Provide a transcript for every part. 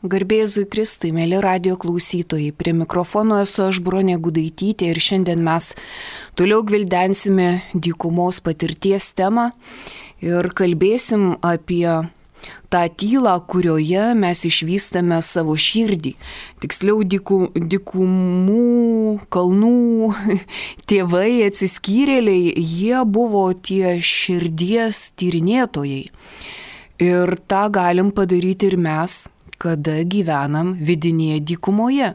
Garbėzui Kristui, mėly radio klausytojai, prie mikrofono esu aš Bronė Gudaitytė ir šiandien mes toliau gvildensime dykumos patirties temą ir kalbėsim apie tą tylą, kurioje mes išvystame savo širdį. Tiksliau, dykumų, kalnų tėvai, atsiskyrėliai, jie buvo tie širdies tyrinėtojai. Ir tą galim padaryti ir mes, kada gyvenam vidinėje dykumoje.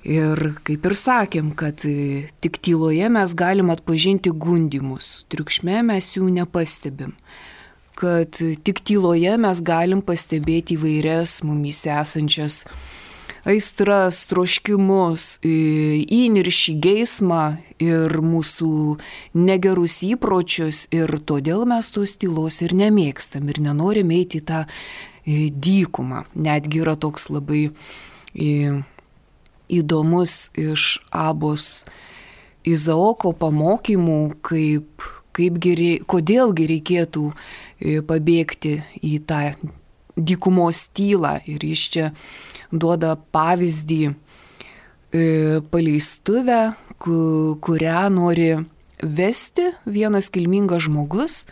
Ir kaip ir sakėm, kad tik tyloje mes galim atpažinti gundymus, triukšme mes jų nepastebim. Kad tik tyloje mes galim pastebėti įvairias mumyse esančias aistras, troškimus, įniršį, geismą ir mūsų negerus įpročius. Ir todėl mes tos tylos ir nemėgstam ir nenorim eiti į tą dykumą. Netgi yra toks labai įdomus iš Abos Izaoko pamokymų, kodėlgi reikėtų pabėgti į tą dykumos tylą. Ir jis čia duoda pavyzdį paleistuvę, kurią nori vesti vienas kilmingas žmogus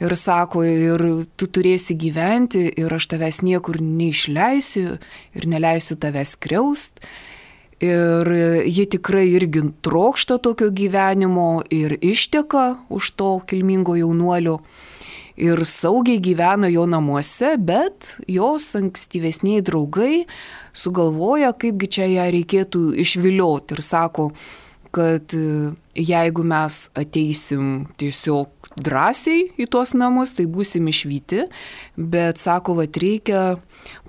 ir sako, ir tu turėsi gyventi ir aš tavęs niekur neišleisiu ir neleisiu tavęs skriaust. Ir ji tikrai irgi trokšta tokio gyvenimo ir išteka už to kilmingo jaunuolio ir saugiai gyvena jo namuose, bet jos ankstyvesniai draugai sugalvoja, kaipgi čia ją reikėtų išvilioti ir sako, kad jeigu mes ateisim tiesiog drąsiai į tuos namus, tai būsim išvyti, bet sako, reikia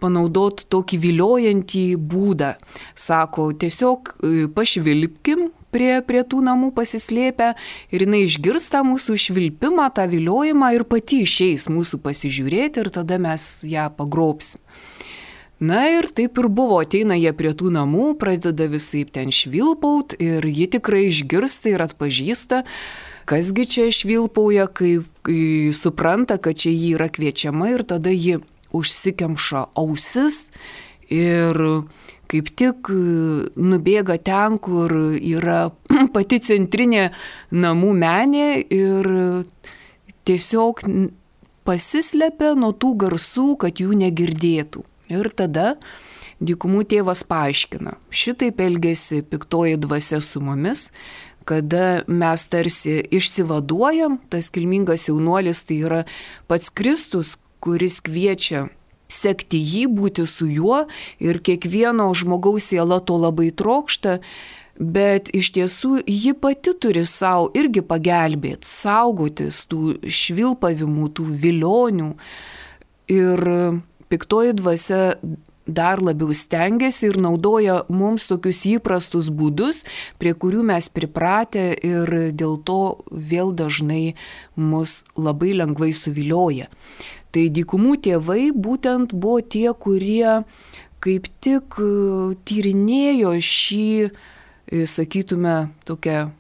panaudoti tokį viliojantį būdą. Sako, tiesiog pašvilpkim prie tų namų pasislėpę ir jinai išgirs tą mūsų švilpimą, tą viliojimą ir pati išeis mūsų pasižiūrėti ir tada mes ją pagrobsim. Na ir taip ir buvo, ateina jie prie tų namų, pradeda visaip ten švilpaut ir ji tikrai išgirsta ir atpažįsta, kasgi čia švilpauja, kai supranta, kad čia ji yra kviečiama ir tada ji užsikemša ausis ir kaip tik nubėga ten, kur yra pati centrinė namų menė ir tiesiog pasislepia nuo tų garsų, kad jų negirdėtų. Ir tada dykumų tėvas paaiškina, šitaip elgiasi piktoji dvasia su mumis, kada mes tarsi išsivaduojam, tas kilmingas jaunuolis tai yra pats Kristus, kuris kviečia sekti jį, būti su juo ir kiekvieno žmogaus siela to labai trokšta, bet iš tiesų ji pati turi savo irgi pagelbėti, saugotis tų švilpavimų, tų vilionių. Ir piktoji dvasia dar labiau stengiasi ir naudoja mums tokius įprastus būdus, prie kurių mes pripratę ir dėl to vėl dažnai mus labai lengvai suvilioja. Tai dykumų tėvai būtent buvo tie, kurie kaip tik tyrinėjo šį, sakytume, tokią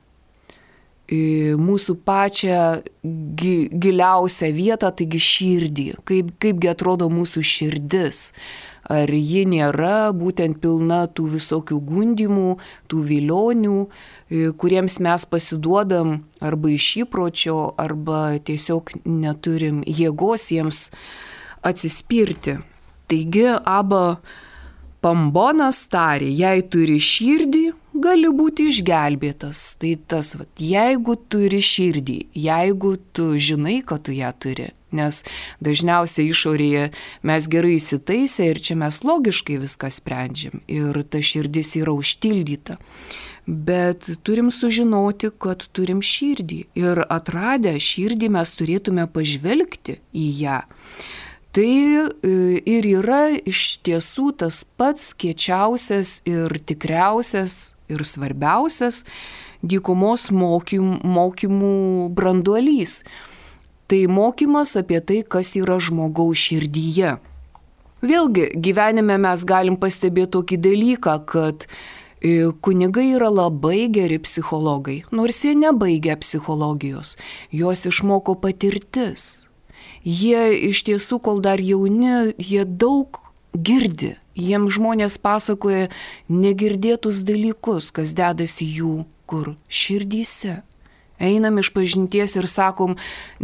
mūsų pačią giliausią vietą, taigi širdį, kaipgi atrodo mūsų širdis. Ar ji nėra būtent pilna tų visokių gundymų, tų vilionių, kuriems mes pasiduodam arba iš įpročio, arba tiesiog neturim jėgos jiems atsispirti. Taigi Aba Pambonas tarė, jei turi širdį, gali būti išgelbėtas. Tai tas, jeigu turi širdį, jeigu tu žinai, kad tu ją turi. Nes dažniausiai išorėje mes gerai įsitaisę ir čia mes logiškai viską sprendžiam. Ir ta širdis yra užtildyta. Bet turim sužinoti, kad turim širdį. Ir atradę širdį mes turėtume pažvelgti į ją. Tai ir yra iš tiesų tas pats kiečiausias ir tikriausias ir svarbiausias dykumos mokymų branduolys. Tai mokymas apie tai, kas yra žmogaus širdyje. Vėlgi, gyvenime mes galim pastebėti tokį dalyką, kad kunigai yra labai geri psichologai, nors jie nebaigia psichologijos, jos išmoko patirtis. Jie iš tiesų, kol dar jauni, jie daug girdi. Jiems žmonės pasakoja negirdėtus dalykus, kas dedasi jų kur širdyse. Einam iš pažinties ir sakom,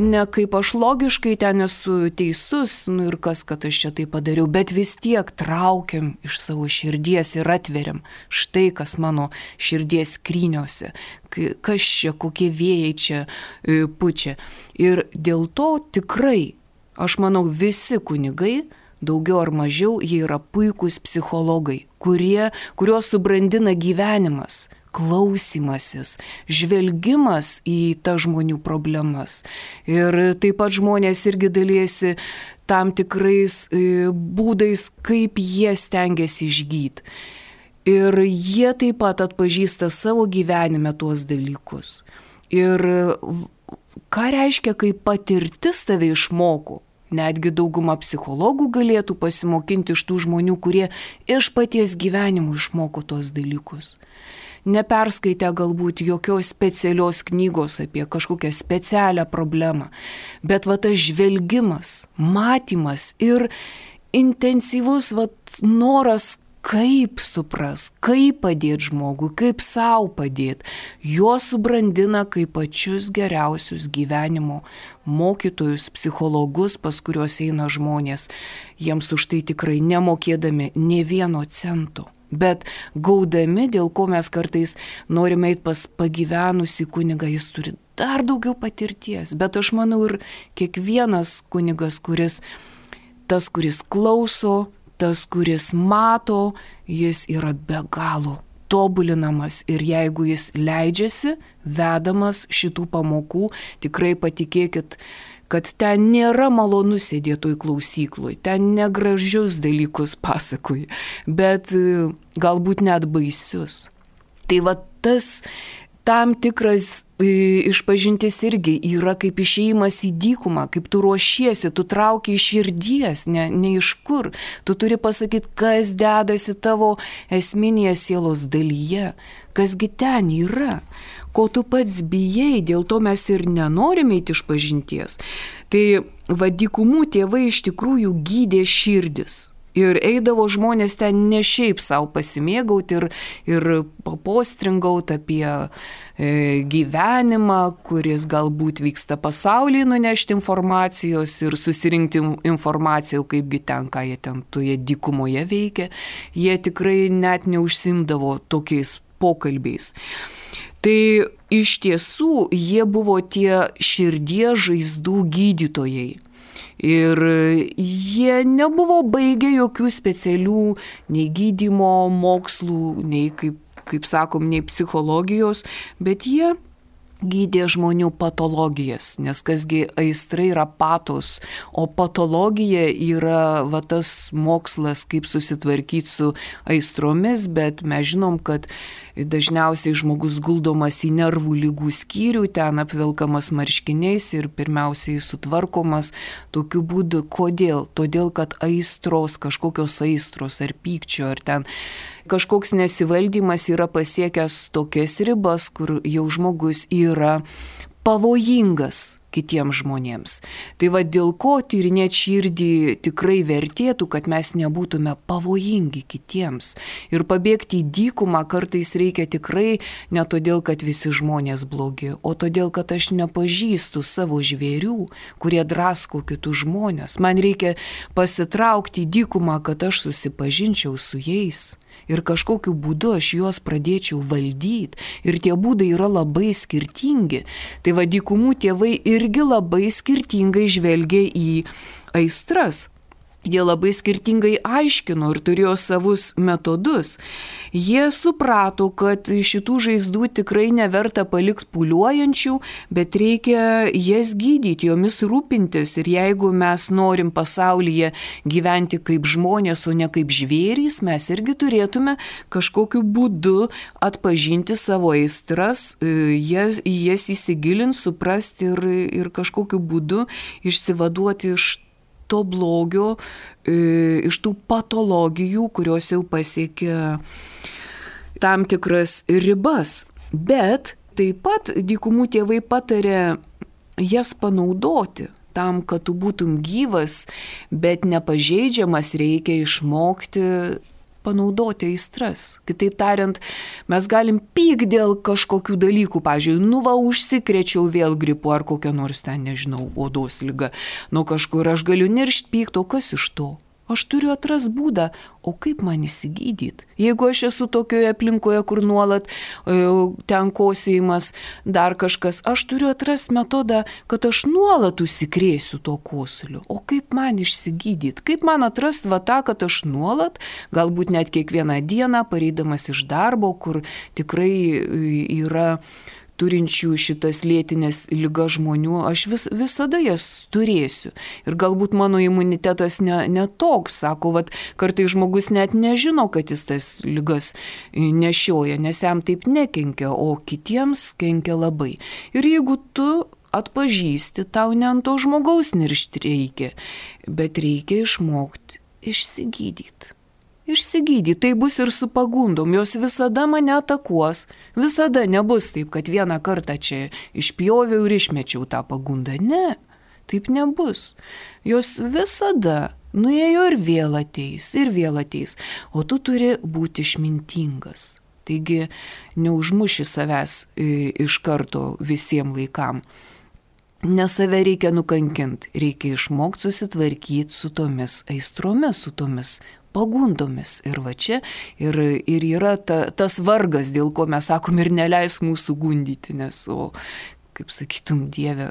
ne kaip aš logiškai ten esu teisus, ir kas, kad aš čia tai padariau, bet vis tiek traukiam iš savo širdies ir atveriam. Štai kas mano širdies skryniuose, kas čia, kokie vėjai čia pučia. Ir dėl to tikrai, aš manau, visi kunigai, daugiau ar mažiau, jie yra puikūs psichologai, kuriuos subrandina gyvenimas, klausimasis, žvelgimas į tas žmonių problemas. Ir taip pat žmonės irgi dalyjasi tam tikrais būdais, kaip jie stengiasi išgyti. Ir jie taip pat atpažįsta savo gyvenime tuos dalykus. Ir ką reiškia, kai patirtis tave išmoko? Netgi dauguma psichologų galėtų pasimokinti iš tų žmonių, kurie iš paties gyvenimo išmoko tos dalykus. Neperskaitę galbūt jokios specialios knygos apie kažkokią specialią problemą, bet tas žvelgimas, matymas ir intensyvus noras, kaip supras, kaip padėti žmogui, kaip savo padėti, juos subrandina kaip pačius geriausius gyvenimo mokytojus, psichologus, pas kuriuos eina žmonės, jiems už tai tikrai nemokėdami nė vieno cento. Bet gaudami, dėl ko mes kartais norime eiti pas pagyvenusį kunigą, jis turi dar daugiau patirties. Bet aš manau ir kiekvienas kunigas, kuris klauso, tas, kuris mato, jis yra be galo tobulinamas. Ir jeigu jis leidžiasi, vedamas šitų pamokų, tikrai patikėkit, kad ten nėra malonu sėdėti toj klausykloj, ten negražius dalykus pasakoja, bet galbūt net baisius. Tai tas tam tikras išpažintis irgi yra kaip išėjimas į dykumą, kaip tu ruošiesi, tu trauki iš širdies, ne iš kur. Tu turi pasakyti, kas dedasi tavo esminėje sielos dalyje, kasgi ten yra. Ko tu pats bijai, dėl to mes ir nenorime eiti iš pažinties. Tai dykumų tėvai iš tikrųjų gydė širdis. Ir eidavo žmonės ten ne šiaip savo pasimėgauti ir papostringauti apie gyvenimą, kuris galbūt vyksta pasaulyje, nunešti informacijos ir susirinkti informacijų, kaipgi ten, ką jie ten toje dykumoje veikia. Jie tikrai net neužsimdavo tokiais pokalbiais. Tai iš tiesų jie buvo tie širdies žaizdų gydytojai. Ir jie nebuvo baigę jokių specialių nei gydymo mokslų, nei, kaip sakom, nei psichologijos, bet jie gydė žmonių patologijas, nes kasgi aistra yra patos, o patologija yra tas mokslas, kaip susitvarkyti su aistromis, bet mes žinom, kad dažniausiai žmogus guldomas į nervų lygų skyrių, ten apvilkamas marškiniais ir pirmiausiai sutvarkomas tokiu būdu. Kodėl? Todėl, kad kažkokios aistros ar pykčio, ar ten kažkoks nesivaldymas yra pasiekęs tokias ribas, kur jau žmogus yra pavojingas kitiems žmonėms. Tai dėl ko tyrinėti širdį tikrai vertėtų, kad mes nebūtume pavojingi kitiems. Ir pabėgti į dykumą kartais reikia tikrai ne todėl, kad visi žmonės blogi, o todėl, kad aš nepažįstu savo žvėrių, kurie drasko kitus žmonės. Man reikia pasitraukti į dykumą, kad aš susipažinčiau su jais. Ir kažkokiu būdu aš juos pradėčiau valdyti. Ir tie būdai yra labai skirtingi. Tai dykumų tėvai irgi labai skirtingai žvelgia į aistras. Jie labai skirtingai aiškino ir turėjo savus metodus. Jie suprato, kad šitų žaizdų tikrai neverta palikti pūliuojančių, bet reikia jas gydyti, jomis rūpintis. Ir jeigu mes norim pasaulyje gyventi kaip žmonės, o ne kaip žvėrys, mes irgi turėtume kažkokiu būdu atpažinti savo aistras, jas įsigilinti, suprasti ir kažkokiu būdu išsivaduoti iš to blogio, iš tų patologijų, kurios jau pasiekia tam tikras ribas. Bet taip pat dykumų tėvai patarė jas panaudoti. tam, kad tu būtum gyvas, bet nepažeidžiamas, reikia išmokti panaudoti aistras. Kitaip tariant, mes galim pykti dėl kažkokių dalykų, pavyzdžiui, užsikrėčiau vėl gripu ar kokią nors ten, nežinau, odos ligą. Nuo kažkur aš galiu niršti, pykti, o kas iš to? Aš turiu atrast būdą, o kaip man įsigydyti? Jeigu aš esu tokioje aplinkoje, kur nuolat ten kosėjimas, dar kažkas, aš turiu atrast metodą, kad aš nuolat užsikrėsiu to kosuliu. O kaip man išsigydyti? Kaip man atrast tą, kad aš nuolat, galbūt net kiekvieną dieną, pareidamas iš darbo, kur tikrai yra turinčių šitas lėtinės ligas žmonių, aš visada jas turėsiu. Ir galbūt mano imunitetas ne toks, sako, kartais žmogus net nežino, kad jis tas ligas nešioja, nes jam taip nekenkia, o kitiems kenkia labai. Ir jeigu tu atpažįsti, tau ne ant to žmogaus niršti reikia, bet reikia išmokti išsigydyti. Išsigydyti, tai bus ir su pagundom, jos visada mane atakuos, visada nebus taip, kad vieną kartą čia išpjoviau ir išmečiau tą pagundą. Ne, taip nebus. Jos visada nuėjo ir vėl ateis, o tu turi būti išmintingas. Taigi neužmuši savęs iš karto visiems laikam. Ne save reikia nukankinti, reikia išmokti susitvarkyti su tomis aistromis, su tomis pagundomis. Ir va čia ir yra tas vargas, dėl ko mes sakom ir neleis mūsų gundyti, nes, kaip sakytum, Dieve,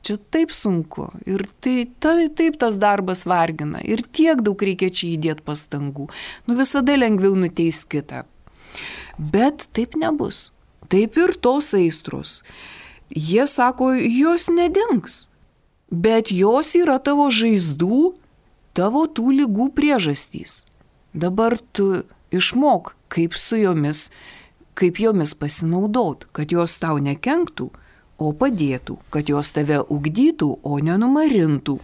čia taip sunku ir taip tas darbas vargina ir tiek daug reikia čia įdėti pastangų. Visada lengviau nuteis kitą. Bet taip nebus. Taip ir tos aistros. Jie sako, jos nedings, bet jos yra tavo žaizdų, tavo tų ligų priežastys. Dabar tu išmok, kaip jomis pasinaudot, kad jos tau nekenktų, o padėtų, kad jos tave ugdytų, o nenumarintų.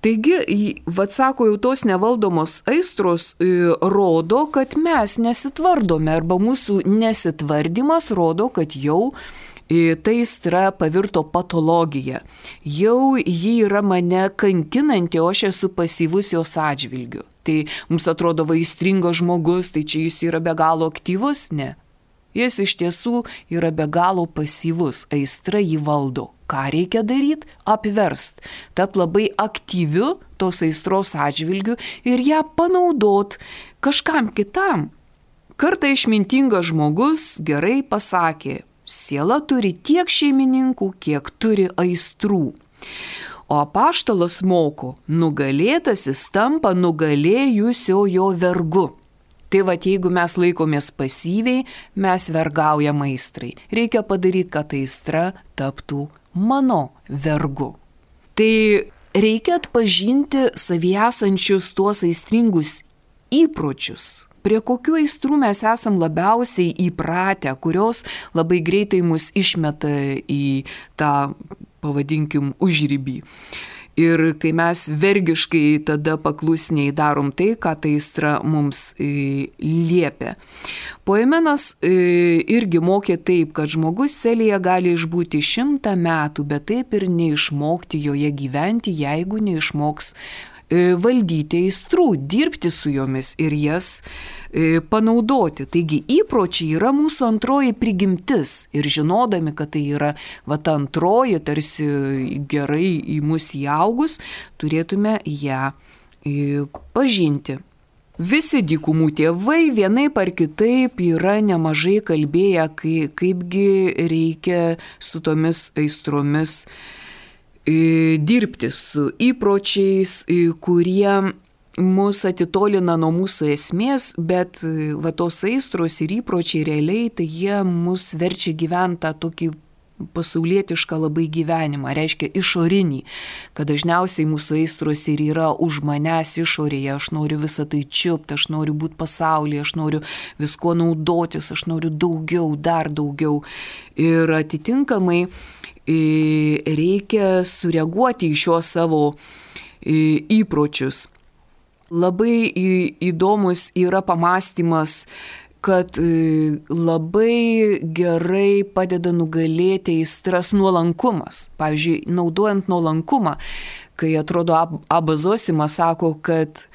Taigi, sako, jau tos nevaldomos aistros rodo, kad mes nesitvardome, arba mūsų nesitvardymas rodo, kad jau ta aistra pavirto patologija. Jau ji yra mane kankinanti, o aš esu pasyvus jos atžvilgiu. Tai mums atrodo aistringas žmogus, tai čia jis yra be galo aktyvus? Ne. Jis iš tiesų yra be galo pasyvus, aistra jį valdo. Ką reikia daryti? Apverst. Tapt labai aktyviu tos aistros atžvilgiu ir ją panaudot kažkam kitam. Kartą išmintingas žmogus gerai pasakė, siela turi tiek šeimininkų, kiek turi aistrų. O apaštalas moko, nugalėtasis tampa nugalėjusiojo vergu. Tai jeigu mes laikomės pasyviai, mes vergaujam aistrai. Reikia padaryti, kad aistra taptų mano vergu. Tai reikia atpažinti savyje esančius tuos aistringus įpročius. Prie kokių aistrų mes esam labiausiai įpratę, kurios labai greitai mus išmeta į tą, pavadinkim, užribį. Ir kai mes vergiškai tada paklusniai darom tai, ką ta aistra mums liepia. Poimenas irgi mokė taip, kad žmogus celėje gali išbūti 100 metų, bet taip ir neišmokti joje gyventi, jeigu neišmoks valdyti aistrų, dirbti su jomis ir jas panaudoti. Taigi įpročiai yra mūsų antroji prigimtis ir žinodami, kad tai yra ta antroji, tarsi gerai į mus įaugus, turėtume ją pažinti. Visi dykumų tėvai vienaip ar kitaip yra nemažai kalbėję, kaipgi reikia su tomis aistromis dirbti, su įpročiais, kurie mus atitolina nuo mūsų esmės, bet tos aistros ir įpročiai realiai, tai jie mus verčia gyventi tą tokį pasaulietišką labai gyvenimą, reiškia išorinį, kad dažniausiai mūsų aistros ir yra už manęs išorėje, aš noriu visą tai čiupti, aš noriu būti pasaulyje, aš noriu visko naudotis, aš noriu daugiau, dar daugiau. Ir atitinkamai reikia sureaguoti į šios savo įpročius. Labai įdomus yra pamąstymas kad labai gerai padeda nugalėti aistras nuolankumas. Pavyzdžiui, naudojant nuolankumą, kai atrodo Abas Zosimas sako, kad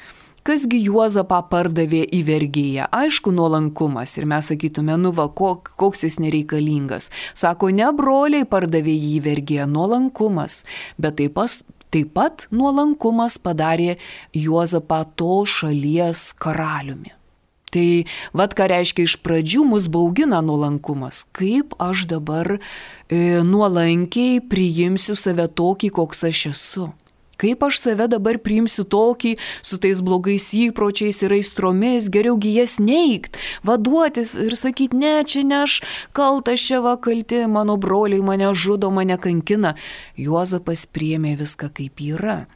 kasgi Juozapą pardavė į vergėją. Aišku, nuolankumas. Ir mes sakytume, koks jis nereikalingas. Sako, ne broliai pardavė jį į vergėją, nuolankumas. Bet taip pat nuolankumas padarė Juozapą to šalies karaliumi. Tai ką reiškia iš pradžių mus baugina nuolankumas. Kaip aš dabar nuolankiai priimsiu save tokį, koks aš esu. Kaip aš save dabar priimsiu tokį, su tais blogais įpročiais ir aistromis, geriaugi jas neigt, vaduotis ir sakyti, ne, čia ne aš kaltas, čia kalti, mano broliai mane žudo, mane kankina. Juozapas priėmė viską kaip yra.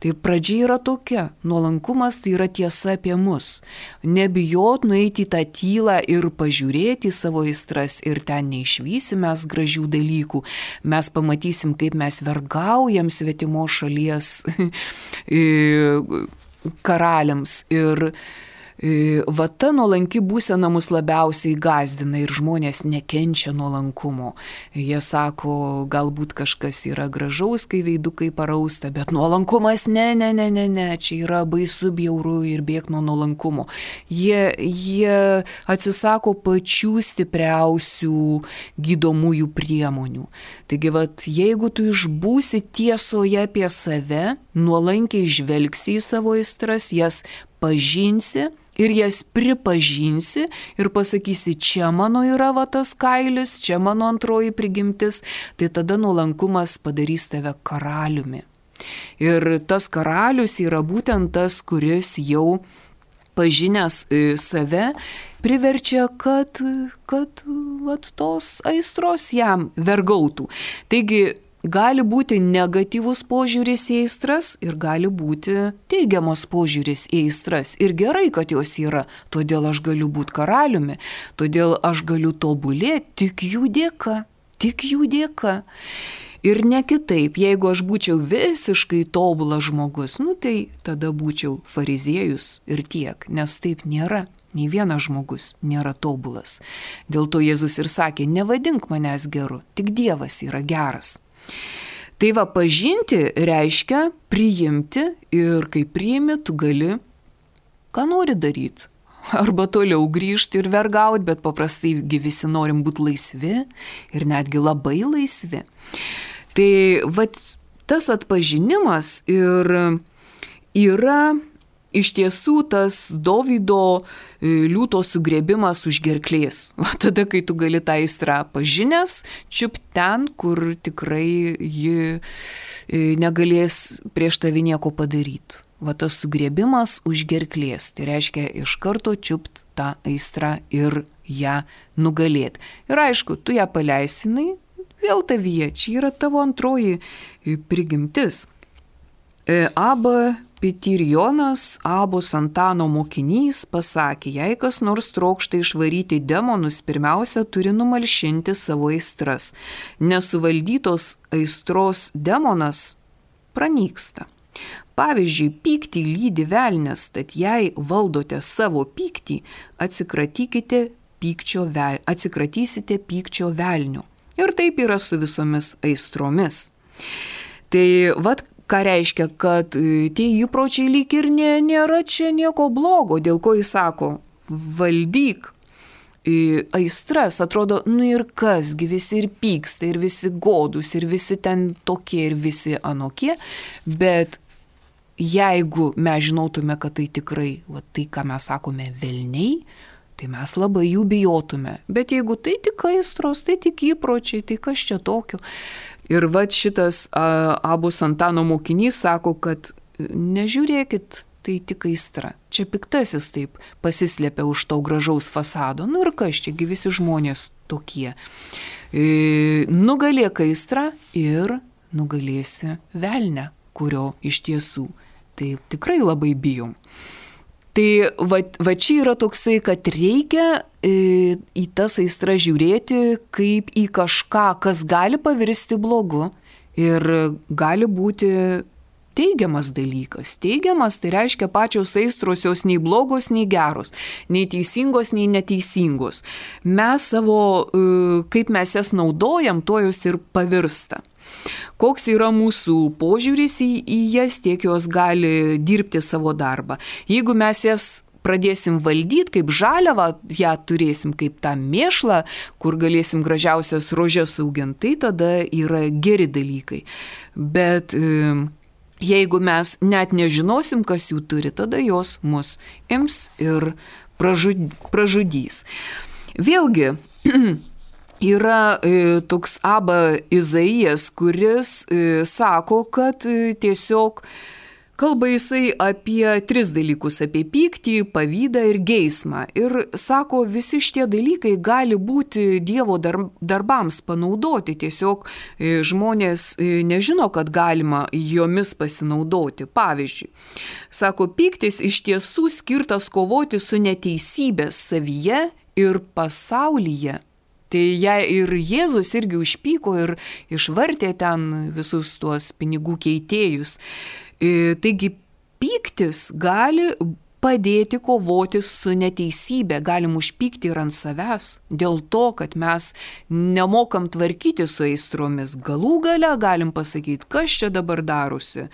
Tai pradžia yra tokia, nuolankumas tai yra tiesa apie mus. Nebijot nueiti į tą tylą ir pažiūrėti į savo aistras ir ten neišvysim mes gražių dalykų. Mes pamatysim, kaip mes vergaujam svetimos šalies karaliams ir ta nuolanki būsena mus labiausiai gąsdina ir žmonės nekenčia nuolankumo. Jie sako, galbūt kažkas yra gražaus, kai veidukai parausta, bet nuolankumas ne, čia yra baisu, bjauru ir bėk nuo nuolankumo. Jie atsisako pačių stipriausių gydomųjų priemonių. Taigi, jeigu tu išbūsi tiesoje apie save, nuolankiai žvelgsi į savo aistras, jas pažinsi ir jas pripažinsi ir pasakysi, čia mano yra tas kailis, čia mano antroji prigimtis, tai tada nuolankumas padarys tave karaliumi. Ir tas karalius yra būtent tas, kuris jau pažinęs save priverčia, kad tos aistros jam vergautų. Taigi, gali būti negatyvus požiūris į aistras ir gali būti teigiamas požiūris į aistras. Ir gerai, kad jos yra, todėl aš galiu būti karaliumi, todėl aš galiu tobulėti tik jų dėka. Ir ne kitaip, jeigu aš būčiau visiškai tobulas žmogus, tai tada būčiau fariziejus ir tiek, nes taip nėra. Nei vienas žmogus nėra tobulas. Dėl to Jėzus ir sakė, nevadink manęs geru, tik Dievas yra geras. Tai pažinti reiškia priimti ir kai priimi, tu gali, ką nori daryti. Arba toliau grįžti ir vergauti, bet paprastai visi norim būti laisvi ir netgi labai laisvi. Tai tas atpažinimas ir yra iš tiesų tas Dovydo liūto sugrėbimas už gerklės. Tada, kai tu gali tą aistrą pažinęs, čiupt ten, kur tikrai ji negalės prieš tavį nieko padaryti. Tas sugrėbimas už gerklės, tai reiškia iš karto čiupt tą aistrą ir ją nugalėti. Ir aišku, tu ją paleisinai, vėl tavyje, čia yra tavo antroji prigimtis. Abba Pitirjonas, Abos Antano mokinys, pasakė, jei kas nors trokšta išvaryti demonus, pirmiausia turi numalšinti savo aistras. Nesuvaldytos aistros demonas pranyksta. Pavyzdžiui, pyktį lydi velnias, tad jei valdote savo pyktį, atsikratysite pykčio velnių. Ir taip yra su visomis aistromis. Tai ką reiškia, kad tie įpročiai lyg ir nėra čia nieko blogo, dėl ko jis sako, valdyk aistras, atrodo, ir kasgi visi ir pyksta, ir visi godus, ir visi ten tokie, ir visi anokie, bet jeigu mes žinotume, kad tai tikrai, tai ką mes sakome, velniai, tai mes labai jų bijotume, bet jeigu tai tik aistros, tai tik įpročiai, tai kas čia tokio? Ir šitas Abos Antano mokinys sako, kad nežiūrėkit, tai tik aistra. Čia piktasis taip pasislėpia už to gražaus fasado. Ir kas, čiagi visi žmonės tokie. Nugalėk aistrą ir nugalėsi velnią, kurio iš tiesų. Tai tikrai labai bijom. Tai čia yra toksai, kad reikia į tas aistras žiūrėti kaip į kažką, kas gali pavirsti blogu ir gali būti teigiamas dalykas. Teigiamas tai reiškia pačios aistros jos nei blogos, nei geros, nei teisingos, nei neteisingos. Mes savo, kaip mes jas naudojam, to jos ir pavirsta. Koks yra mūsų požiūris į jas, tiek jos gali dirbti savo darbą. Jeigu mes jas pradėsim valdyti kaip žaliavą, ją turėsim kaip tą mėšlą, kur galėsim gražiausias rožes auginti, tai tada yra geri dalykai. Bet jeigu mes net nežinosim, kas jų turi, tada jos mus ims ir pražudys. Vėlgi, yra toks Aba Izaijas, kuris sako, kad tiesiog kalba jisai apie 3 dalykus, apie pyktį, pavydą ir geismą. Ir sako, visi šitie dalykai gali būti Dievo darbams panaudoti. Tiesiog žmonės nežino, kad galima jomis pasinaudoti. Pavyzdžiui, sako, pyktis iš tiesų skirtas kovoti su neteisybės savyje ir pasaulyje. Tai jei ir Jėzus irgi užpyko ir išvartė ten visus tuos pinigų keitėjus. Taigi pyktis gali padėti kovoti su neteisybė, galim užpykti ir ant savęs, dėl to, kad mes nemokam tvarkyti su aistromis. Galų gale galim pasakyti, kas čia dabar darosi.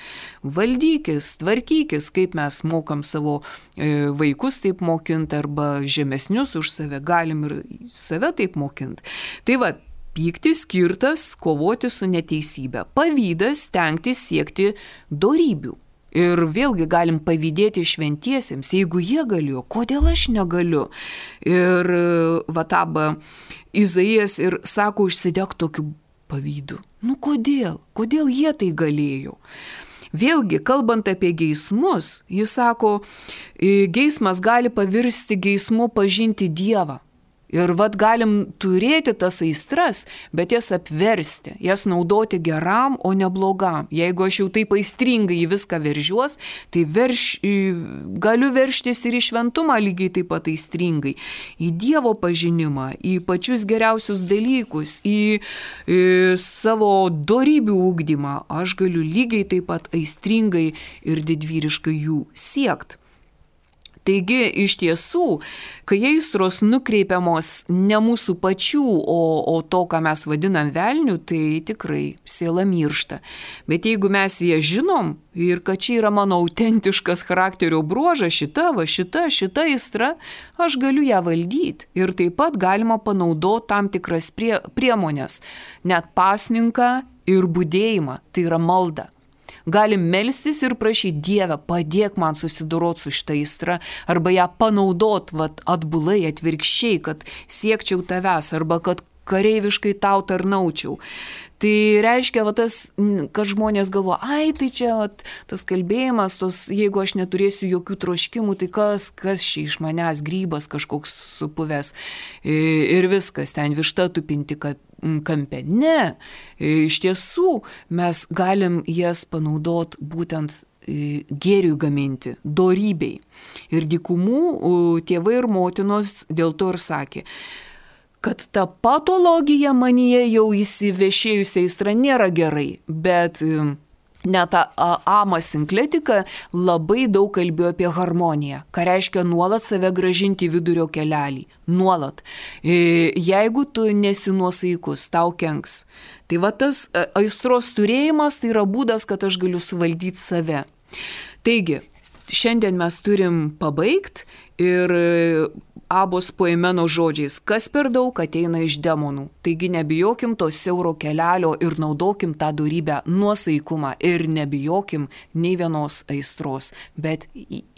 Valdykis, tvarkykis, kaip mes mokam savo vaikus taip mokinti arba žemesnius už save, galim ir save taip mokinti. Tai va, pyktis skirtas kovoti su neteisybė. Pavydas stengtis siekti dorybių. Ir vėlgi galim pavydėti šventiesiems, jeigu jie galėjo, kodėl aš negaliu. Ir Aba Izaijas ir sako, užsidek tokiu pavydu. Nu kodėl? Kodėl jie tai galėjo? Vėlgi, kalbant apie geismus, jis sako, geismas gali pavirsti geismu pažinti Dievą. Ir galim turėti tas aistras, bet jas apversti, jas naudoti geram, o ne blogam. Jeigu aš jau taip aistringai į viską veržiuos, tai galiu verštis ir į šventumą lygiai taip pat aistringai. Į Dievo pažinimą, į pačius geriausius dalykus, į savo dorybių ugdymą. Aš galiu lygiai taip pat aistringai ir didvyriškai jų siekti. Taigi, iš tiesų, kai aistros nukreipiamos ne mūsų pačių, o to, ką mes vadinam velniu, tai tikrai siela miršta. Bet jeigu mes ją žinom ir kad čia yra mano autentiškas charakterio bruožas, šita aistra, aš galiu ją valdyti. Ir taip pat galima panaudoti tam tikras priemonės, net pasninką ir budėjimą, tai yra malda. Galim melstis ir prašyti, Dieve, padėk man susidoroti su šitą aistrą, arba ją panaudot atbulai, atvirkščiai, kad siekčiau tavęs, arba kad kareiviškai tau tarnaučiau. Tai reiškia, kad žmonės galvo, tai čia tas kalbėjimas, jeigu aš neturėsiu jokių troškimų, tai kas čia iš manęs, grybas kažkoks supuvęs ir viskas, ten višta tupinti kampe. Ne, iš tiesų mes galim jas panaudoti būtent gėriui gaminti, dorybei. Ir dykumų tėvai ir motinos dėl to ir sakė, kad ta patologija manyje jau įsivešėjusi aistra nėra gerai, bet net Ama Sinkletika labai daug kalbėjo apie harmoniją, ką reiškia nuolat save gražinti vidurio kelelį, nuolat. Jeigu tu nesi nuosaikus, tau kenks. Tai tas aistros turėjimas tai yra būdas, kad aš galiu suvaldyti save. Taigi, šiandien mes turim pabaigti ir Abos poemeno žodžiais, kas per daug ateina iš demonų. Taigi nebijokim to siauro kelelio ir naudokim tą dorybę nuosaikumą ir nebijokim nei vienos aistros, bet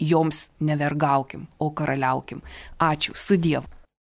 joms nevergaukim, o karaliaukim. Ačiū, su Dievu.